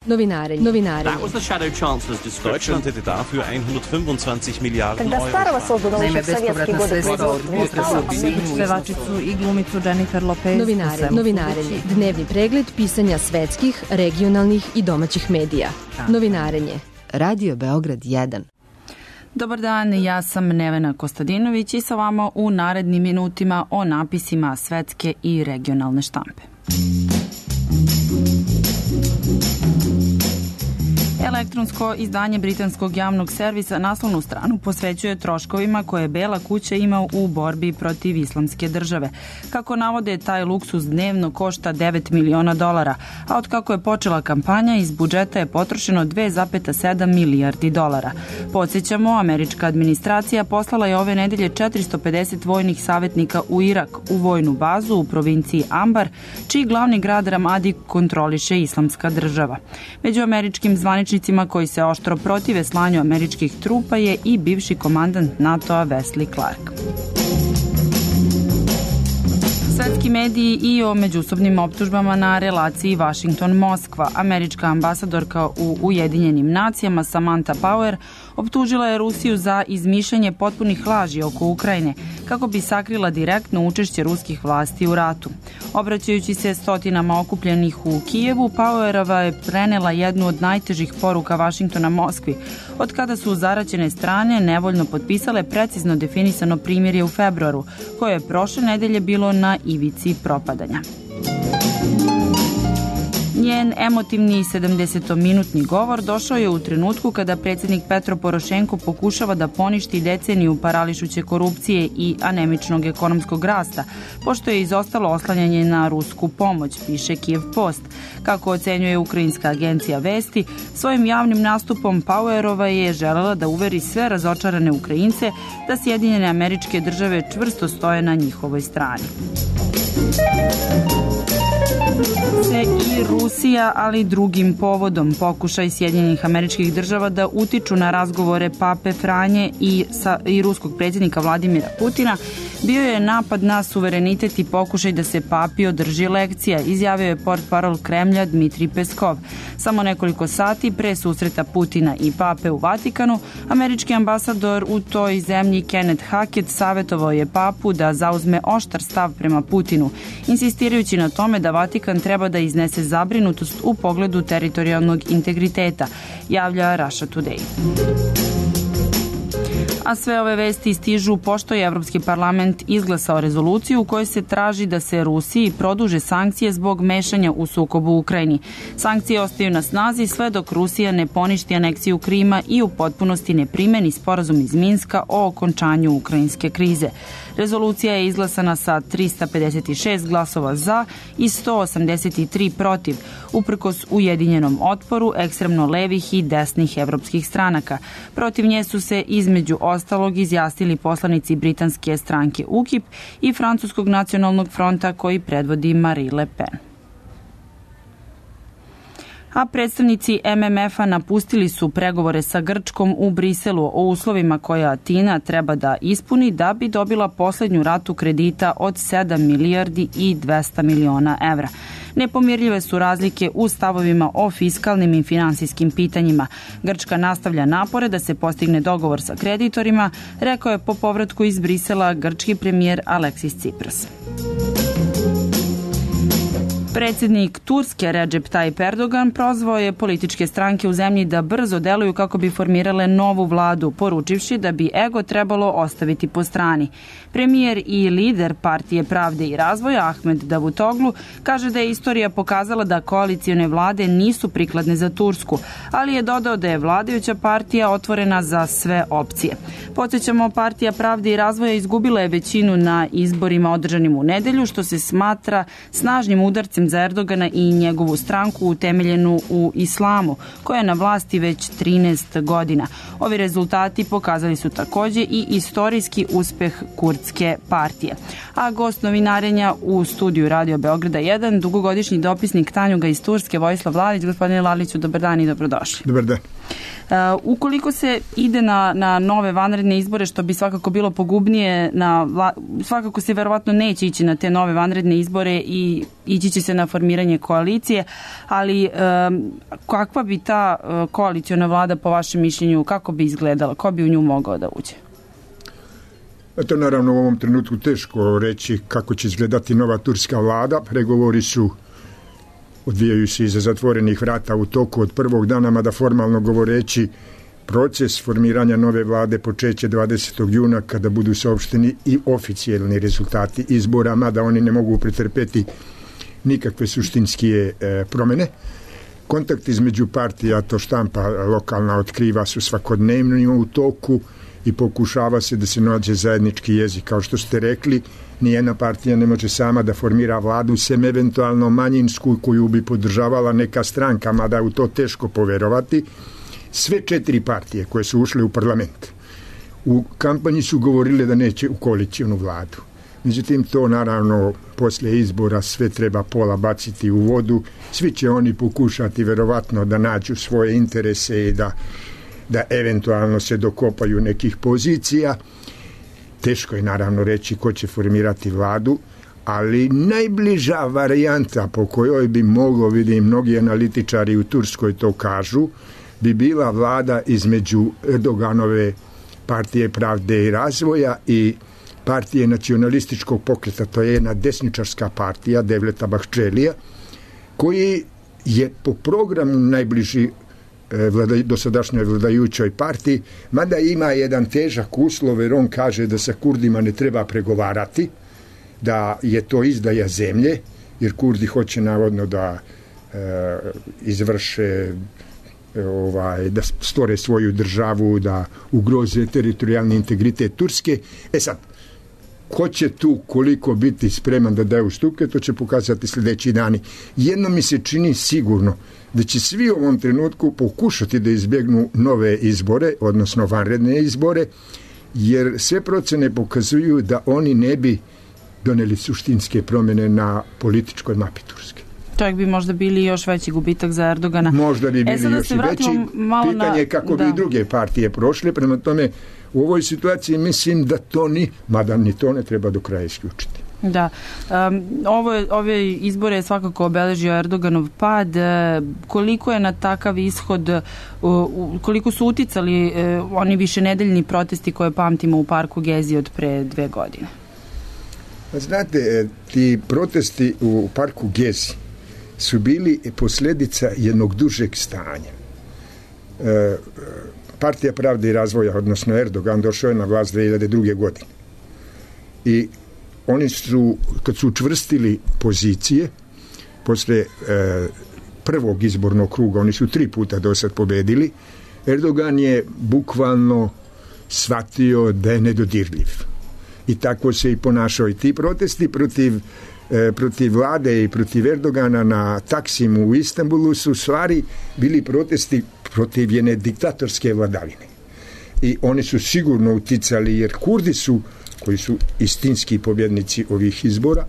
Novinare. That was the Shadow Chancellor's description. Deutschland hätte dafür 125 Miliarden Когда старого создано еще в советские годы производства. Pevačicu i glumicu Jennifer Lopez. Novinarenje. Dnevni pregled pisanja svetskih, regionalnih i domaćih medija. Novinarenje. Radio Beograd 1. Dobar dan, ja sam Nevena Kostadinović i sa vama u narednim minutima o napisima svetske i regionalne štampe. Elektronsko izdanje britanskog javnog servisa naslovnu stranu posvećuje troškovima koje Bela kuća ima u borbi protiv islamske države. Kako navode, taj luksuz dnevno košta $9 miliona, a od kako je počela kampanja iz budžeta je potrošeno $2,7 milijardi. Podsjećamo, američka administracija poslala je ove nedelje 450 vojnih savjetnika u Irak, u vojnu bazu u provinciji Ambar, čiji glavni grad Ramadi kontroliše islamska država. Među američkim zvaničnicima koji se oštro protive slanju američkih trupa je i bivši komandant NATO-a Wesley Clark. Svetski mediji i o međusobnim optužbama na relaciji Washington-Moskva. Američka ambasadorka u Ujedinjenim nacijama Samantha Power optužila je Rusiju za izmišljanje potpunih laži oko Ukrajine kako bi sakrila direktno učešće ruskih vlasti u ratu. Obraćajući se stotinama okupljenih u Kijevu, Powerova je prenela jednu od najtežih poruka Vašingtona Moskvi, od kada su zaraćene strane nevoljno potpisale precizno definisano primirje u februaru, koje je prošle nedelje bilo na ivici propadanja. Njen emotivni 70-minutni govor došao je u trenutku kada predsjednik Petro Porošenko pokušava da poništi deceniju parališuće korupcije i anemičnog ekonomskog rasta, pošto je izostalo oslanjanje na rusku pomoć, piše Kiev Post. Kako ocenjuje ukrajinska agencija Vesti, svojim javnim nastupom Powerova je želela da uveri sve razočarane Ukrajince da Sjedinjene Američke Države čvrsto stoje na njihovoj strani. Se i Rusija, ali drugim povodom. Pokušaj Sjedinjenih Američkih Država da utiču na razgovore Pape Franje i ruskog predsjednika Vladimira Putina bio je napad na suverenitet i pokušaj da se Papi održi lekcija, izjavio je portparol Kremlja Dmitrij Peskov. Samo nekoliko sati pre susreta Putina i Pape u Vatikanu, američki ambasador u toj zemlji Kenneth Hackett savjetovao je Papu da zauzme oštar stav prema Putinu, insistirajući na tome da Vatikan treba da iznese zabrinutost u pogledu teritorijalnog integriteta, javlja Russia Today. A sve ove vesti stižu pošto je Evropski parlament izglasao rezoluciju u kojoj se traži da se Rusiji produže sankcije zbog mešanja u sukobu u Ukrajini. Sankcije ostaju na snazi sve dok Rusija ne poništi aneksiju Krima i u potpunosti ne primeni sporazum iz Minska o okončanju ukrajinske krize. Rezolucija je izglasana sa 356 glasova za i 183 protiv, uprkos ujedinjenom otporu ekstremno levih i desnih evropskih stranaka. Protiv nje su se između ostalog izjasnili poslanici britanske stranke UKIP i Francuskog nacionalnog fronta koji predvodi Marine Le Pen. A predstavnici MMF-a napustili su pregovore sa Grčkom u Briselu o uslovima koje Atina treba da ispuni da bi dobila posljednju ratu kredita od 7 milijardi i 200 miliona evra. Nepomirljive su razlike u stavovima o fiskalnim i finansijskim pitanjima. Grčka nastavlja napore da se postigne dogovor sa kreditorima, rekao je po povratku iz Brisela grčki premijer Aleksis Tsipras. Predsjednik Turske Recep Tayyip Erdogan prozvao je političke stranke u zemlji da brzo deluju kako bi formirale novu vladu, poručivši da bi ego trebalo ostaviti po strani. Premijer i lider Partije pravde i razvoja Ahmed Davutoglu kaže da je istorija pokazala da koalicione vlade nisu prikladne za Tursku, ali je dodao da je vladajuća partija otvorena za sve opcije. Podsjećamo, Partija pravde i razvoja izgubila je većinu na izborima održanim u nedelju, što se smatra snažnim udarcem za Erdogana i njegovu stranku utemeljenu u islamu, koja je na vlasti već 13 godina. Ovi rezultati pokazali su takođe i istorijski uspeh kurdske partije. A gost novinarenja u studiju Radio Beograda 1, dugogodišnji dopisnik Tanjuga iz Turske, Vojislav Lalić. Gospodine Laliću, dobar dan i dobrodošli. Dobar dan. Ukoliko se ide na nove vanredne izbore, što bi svakako bilo pogubnije, svakako se verovatno neće ići na te nove vanredne izbore i ići će se na formiranje koalicije, ali kakva bi ta koaliciona vlada po vašem mišljenju, kako bi izgledala, ko bi u nju mogao da uđe? To naravno u ovom trenutku teško reći kako će izgledati nova turska vlada. Pregovori su odvijaju se iza zatvorenih vrata u toku od prvog dana, mada formalno govoreći proces formiranja nove vlade počeće 20. juna kada budu saopšteni i oficijalni rezultati izbora, mada oni ne mogu pretrpeti nikakve suštinske promene. Kontakt između partija, to štampa lokalna otkriva, su svakodnevno u toku i pokušava se da se nađe zajednički jezik. Kao što ste rekli, nijedna partija ne može sama da formira vladu, sem eventualno manjinsku koju bi podržavala neka stranka, mada je u to teško poverovati. Sve 4 partije koje su ušle u parlament u kampanji su govorile da neće u koalicionu vladu. Međutim, to naravno posle izbora sve treba pola baciti u vodu. Svi će oni pokušati verovatno da nađu svoje interese i da eventualno se dokopaju nekih pozicija. Teško je naravno reći ko će formirati vladu, ali najbliža varijanta po kojoj bi moglo, vidim, mnogi analitičari u Turskoj to kažu, bi bila vlada između Erdoganove partije Pravde i razvoja i partije nacionalističkog pokreta, to je jedna desničarska partija Devleta Bahčelija, koji je po programu najbliži dosadašnjoj vladajućoj partiji, mada ima jedan težak uslov, jer on kaže da sa Kurdima ne treba pregovarati, da je to izdaja zemlje, jer Kurdi hoće navodno da izvrše da stvore svoju državu, da ugroze teritorijalni integritet Turske. Sad, ko će tu koliko biti spreman da daje ustupke, to će pokazati sljedeći dani. Jedno mi se čini sigurno da će svi u ovom trenutku pokušati da izbjegnu nove izbore, odnosno vanredne izbore, jer sve procene pokazuju da oni ne bi doneli suštinske promjene na političkoj mapi Turske. Čak bi možda bili još veći gubitak za Erdogana. Možda bi bili još i veći. Pitanje je kako bi druge partije prošle. Prema tome, u ovoj situaciji mislim da to mada ni to ne treba do kraja isključiti. Da. Ove izbore je svakako obeležio Erdoganov pad. Koliko je na takav ishod, koliko su uticali oni višenedeljni protesti koje pamtimo u parku Gezi od pre 2 godine? Znate, ti protesti u parku Gezi su bili posljedica jednog dužeg stanja. Partija Pravde i razvoja, odnosno Erdogan, došao je na vlast 2002. godine. I oni su, kad su učvrstili pozicije, posle prvog izbornog kruga, oni su 3 puta do sad pobedili, Erdogan je bukvalno shvatio da je nedodirljiv. I tako se i ponašao. I ti protesti protiv vlade i protiv Erdogana na Taksimu u Istanbulu su u stvari bili protesti protiv jedne diktatorske vladavine. I oni su sigurno uticali, jer Kurdi su, koji su istinski pobjednici ovih izbora,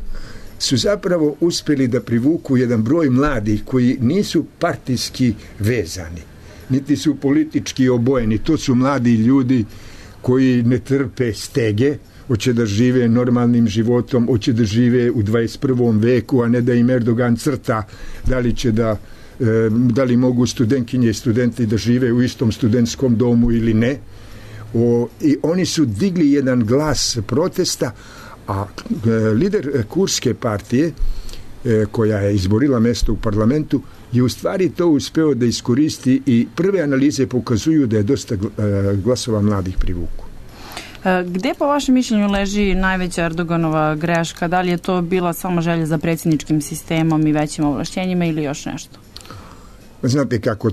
su zapravo uspjeli da privuku jedan broj mladih koji nisu partijski vezani, niti su politički obojeni. To su mladi ljudi koji ne trpe stege, hoće da žive normalnim životom, hoće da žive u 21. veku, a ne da im Erdogan crta da li mogu studentkinje i studenti da žive u istom studentskom domu ili ne. I oni su digli jedan glas protesta, a lider kurdske partije koja je izborila mjesto u parlamentu je u stvari to uspeo da iskoristi i prve analize pokazuju da je dosta glasova mladih privuku. Gde po vašem mišljenju leži najveća Erdoganova greška? Da li je to bila samo želja za predsjedničkim sistemom i većim ovlašćenjima ili još nešto? Znate kako,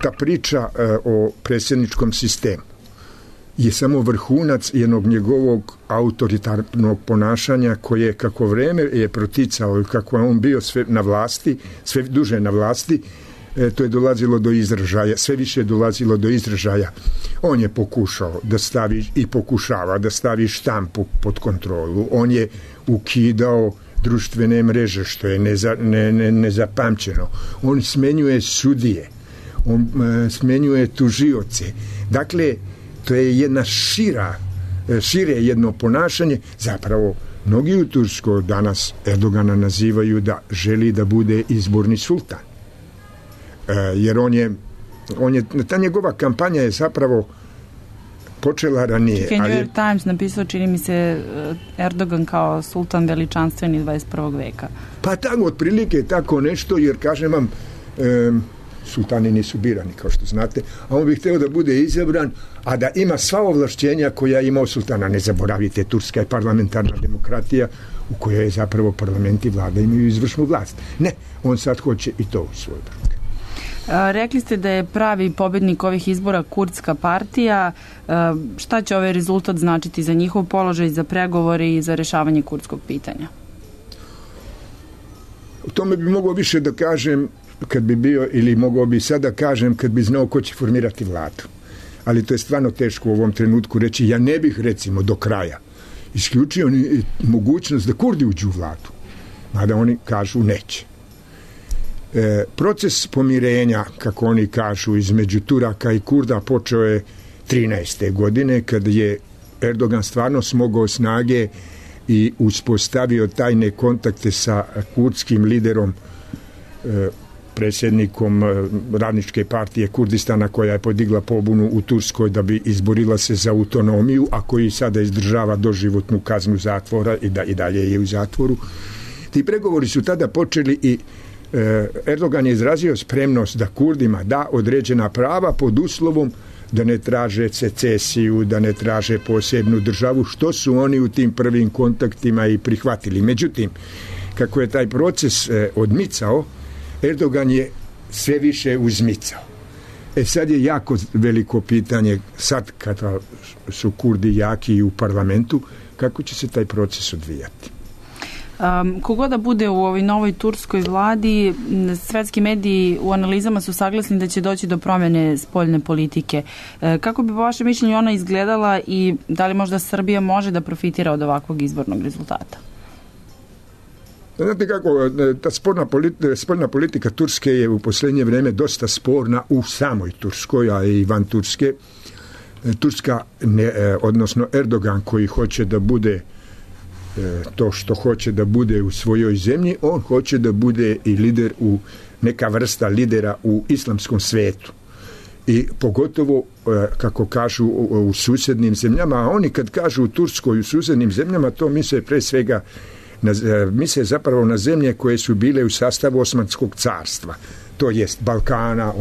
ta priča o predsjedničkom sistemu je samo vrhunac jednog njegovog autoritarnog ponašanja koje kako vreme je proticao i kako je on bio sve duže na vlasti, to je dolazilo do izražaja, sve više je dolazilo do izražaja. On je pokušao da stavi i pokušava da stavi štampu pod kontrolu. On je ukidao društvene mreže, što je nezapamćeno. On smenjuje sudije, on smenjuje tužioce. Dakle, to je jedna šire jedno ponašanje. Zapravo, mnogi u Turskoj danas Erdogana nazivaju da želi da bude izborni sultan. Jer ta njegova kampanja je zapravo počela ranije. New York Times napisao, čini mi se, Erdogan kao sultan veličanstveni 21. veka. Pa tako, otprilike tako nešto, jer kažem vam, sultani nisu birani, kao što znate, a on bi hteo da bude izabran, a da ima sva ovlašćenja koja je imao sultana. Ne zaboravite, Turska je parlamentarna demokratija u kojoj je zapravo parlament i vlada imaju izvršnu vlast. Ne, on sad hoće i to u svoj bruk. Rekli ste da je pravi pobednik ovih izbora kurdska partija. Šta će ovaj rezultat značiti za njihov položaj, za pregovore i za rešavanje kurdskog pitanja? O tome bi mogao više da kažem kad bi bio, ili mogao bi sada kažem kad bi znao ko će formirati vladu. Ali to je stvarno teško u ovom trenutku reći. Ja ne bih, recimo, do kraja isključio mogućnost da Kurdi uđu u vladu. Mada oni kažu neće. Proces pomirenja, kako oni kažu, između Turaka i Kurda počeo je 13. godine, kad je Erdogan stvarno smogao snage i uspostavio tajne kontakte sa kurdskim liderom, predsjednikom Radničke partije Kurdistana, koja je podigla pobunu u Turskoj da bi izborila se za autonomiju, a koji sada izdržava doživotnu kaznu zatvora i dalje je u zatvoru. Ti pregovori su tada počeli i Erdogan je izrazio spremnost da Kurdima da određena prava pod uslovom da ne traže secesiju, da ne traže posebnu državu, što su oni u tim prvim kontaktima i prihvatili. Međutim, kako je taj proces odmicao, Erdogan je sve više uzmicao. Sad je jako veliko pitanje, sad kada su Kurdi jaki i u parlamentu, kako će se taj proces odvijati. Kogo da bude u ovoj novoj turskoj vladi, svetski mediji u analizama su saglasni da će doći do promjene spoljne politike. Kako bi po vašem mišljenju ona izgledala i da li možda Srbija može da profitira od ovakvog izbornog rezultata? Znate kako, ta spoljna politika Turske je u posljednje vrijeme dosta sporna u samoj Turskoj, a i van Turske. Turska, odnosno Erdogan, koji hoće da bude to što hoće da bude u svojoj zemlji, on hoće da bude i lider neka vrsta lidera u islamskom svetu. I pogotovo, kako kažu, u susjednim zemljama, a oni kad kažu u Turskoj u susjednim zemljama, to misle pre svega misle zapravo na zemlje koje su bile u sastavu Osmanskog carstva. To jest Balkana,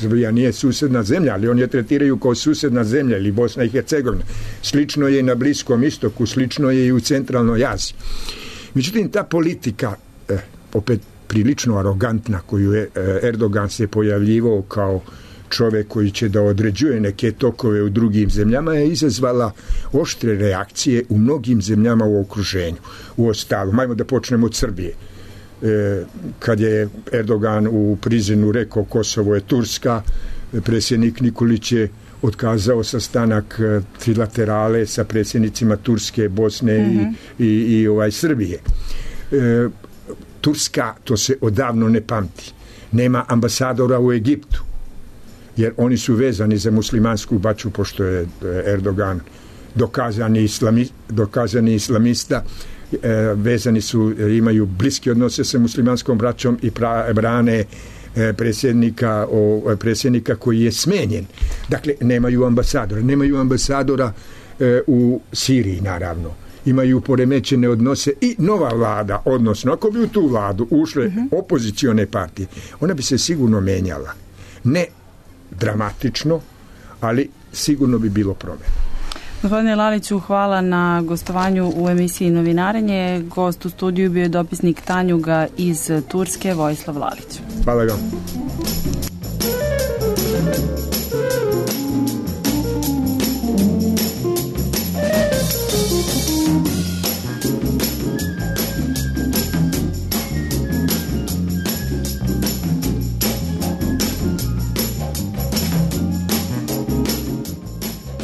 Srbija nije susjedna zemlja, ali oni je tretiraju kao susjedna zemlja, ili Bosna i Hercegovina. Slično je i na Bliskom istoku, slično je i u centralnoj Aziji. Međutim, ta politika, opet prilično arogantna, koju je Erdogan se pojavljivao kao čovjek koji će da određuje neke tokove u drugim zemljama, je izazvala oštre reakcije u mnogim zemljama u okruženju. Uostalom, ajmo da počnemo od Srbije. Kad je Erdogan u Prizrenu rekao Kosovo je Turska, predsjednik Nikolić je otkazao sastanak trilaterale sa predsjednicima Turske, Bosne i Srbije. Turska, to se odavno ne pamti, nema ambasadora u Egiptu, jer oni su vezani za muslimansku baču, pošto je Erdogan dokazani islamista, vezani su, imaju bliske odnose sa muslimanskom braćom i brane predsjednika koji je smenjen. Dakle, nemaju ambasadora u Siriji, naravno. Imaju poremećene odnose i nova vlada, odnosno ako bi u tu vladu ušle opozicione partije, ona bi se sigurno menjala. Ne dramatično, ali sigurno bi bilo promjena. Gospodine Laliću, hvala na gostovanju u emisiji Novinarenje. Gost u studiju bio je dopisnik Tanjuga iz Turske, Vojislav Lalić. Hvala vam.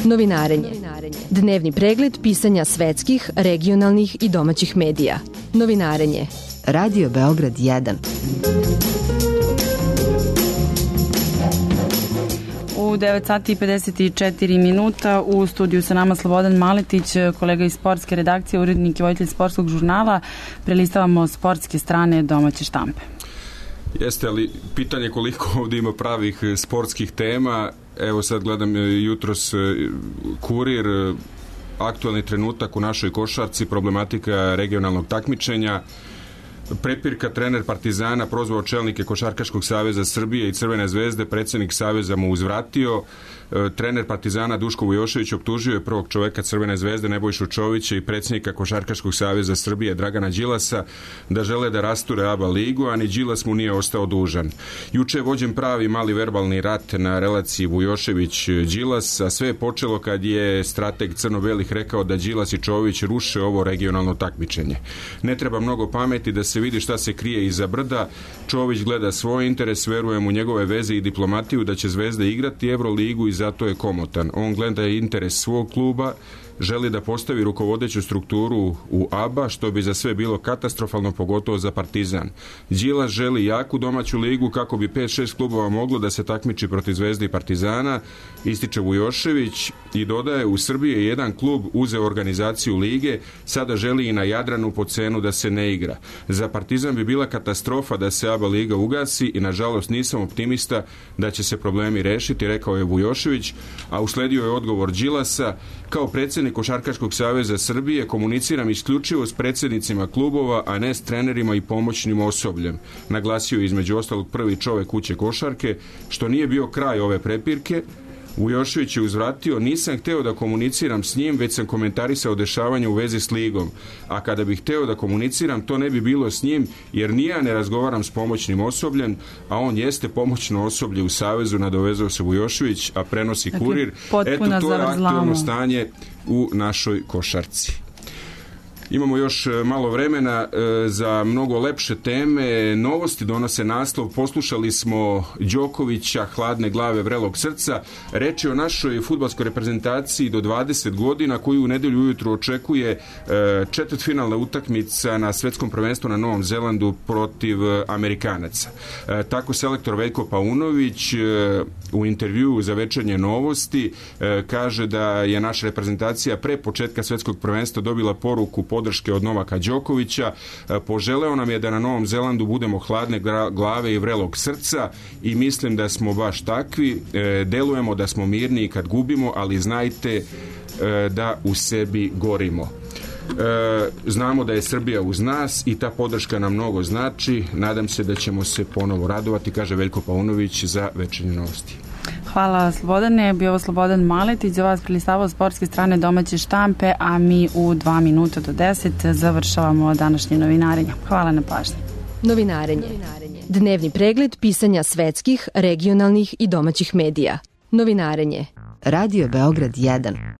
Novinarenje. Dnevni pregled pisanja svetskih, regionalnih i domaćih medija. Novinarenje. Radio Beograd 1. U 9 sati i 54 minuta u studiju sa nama Slobodan Maletić, kolega iz sportske redakcije, urednik i voditelj sportskog žurnala. Prelistavamo sportske strane domaće štampe. Jeste, ali pitanje koliko ovdje ima pravih sportskih tema. Evo sad gledam jutros Kurir, aktualni trenutak u našoj košarci, problematika regionalnog takmičenja. Prepirka, trener Partizana prozvao čelnike Košarkaškog saveza Srbije i Crvene zvezde, predsjednik saveza mu uzvratio. Trener Partizana Duško Vujošević optužio je prvog čoveka Crvene zvezde Nebojšu Čovića i predsjednika Košarkaškog saveza Srbije Dragana Đilasa da žele da rasture ABA ligu, a ni Đilas mu nije ostao dužan. Juče je vođen pravi mali verbalni rat na relaciji Vujošević-Đilas, a sve je počelo kad je strateg crno-belih rekao da Đilas i Čović ruše ovo regionalno takmičenje. Ne treba mnogo pameti da se vidi šta se krije iza brda. Čović gleda svoj interes, verujem u njegove veze i diplomatiju da će Zvezda igrati Evroligu i zato je komotan. On gleda interes svog kluba, želi da postavi rukovodeću strukturu u ABA, što bi za sve bilo katastrofalno, pogotovo za Partizan. Đilas želi jaku domaću ligu kako bi 5-6 klubova moglo da se takmiči protiv Zvezde i Partizana, ističe Vujošević i dodaje, u Srbiji je jedan klub uzeo organizaciju lige, sada želi i na Jadranu po cenu da se ne igra. Za Partizan bi bila katastrofa da se ABA liga ugasi i nažalost nisam optimista da će se problemi rešiti, rekao je Vujošević, a usledio je odgovor Đilasa: kao predsjednik Košarkaškog saveza Srbije komuniciram isključivo s predsjednicima klubova, a ne s trenerima i pomoćnim osobljem. Naglasio je između ostalog prvi čovek kuće košarke, što nije bio kraj ove prepirke. Vujošević je uzvratio: nisam hteo da komuniciram s njim, već sam komentarisao dešavanje u vezi s ligom. A kada bih hteo da komuniciram, to ne bi bilo s njim, jer ni ja ne razgovaram s pomoćnim osobljem, a on jeste pomoćno osoblje u savezu, nadovezao se Vujošević, a prenosi Kurir. Eto, to je aktualno stanje u našoj košarci. Imamo još malo vremena za mnogo lepše teme. Novosti donose naslov: poslušali smo Đokovića, hladne glave, vrelog srca. Reč je o našoj fudbalskoj reprezentaciji do 20 godina koju u nedelju ujutru očekuje četvrtfinalna utakmica na svetskom prvenstvu na Novom Zelandu protiv Amerikanaca. Tako selektor Veljko Paunović u intervjuu za Večernje novosti kaže da je naša reprezentacija pre početka svetskog prvenstva dobila poruku podrške od Novaka Đokovića. Poželeo nam je da na Novom Zelandu budemo hladne glave i vrelog srca i mislim da smo baš takvi. Delujemo da smo mirni kad gubimo, ali znajte da u sebi gorimo. Znamo da je Srbija uz nas i ta podrška nam mnogo znači. Nadam se da ćemo se ponovo radovati, kaže Veljko Paunović za Večernje novosti. Hvala Slobodane, bio ovo Slobodan Maletić, za vas prelistavao sportske strane domaće štampe, a mi u 2 minuta do 10 završavamo današnje novinarenje. Hvala na pažnji. Novinarenje. Dnevni pregled pisanja svetskih, regionalnih i domaćih medija. Novinarenje. Radio Beograd 1.